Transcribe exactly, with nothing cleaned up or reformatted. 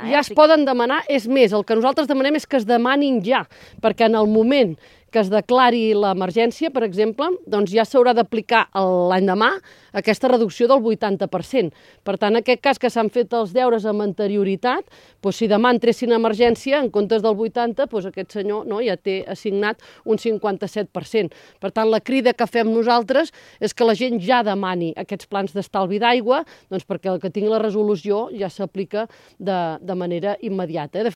Eh? Ja es poden demanar, és més, el que nosaltres demanem és que es demanin ja, perquè en el moment que es declari l'emergència, per exemple, doncs ja s'haurà d'aplicar l'endemà aquesta reducció del vuitanta per cent. Per tant, en aquest cas que s'han fet els deures amb anterioritat, doncs si demà entressin a emergència, en comptes del vuitanta, doncs aquest senyor no, ja té assignat un cinquanta-set per cent. Per tant, la crida que fem nosaltres és que la gent ja demani aquests plans d'estalvi d'aigua, doncs perquè el que tingui la resolució ja s'aplica de, de manera immediata.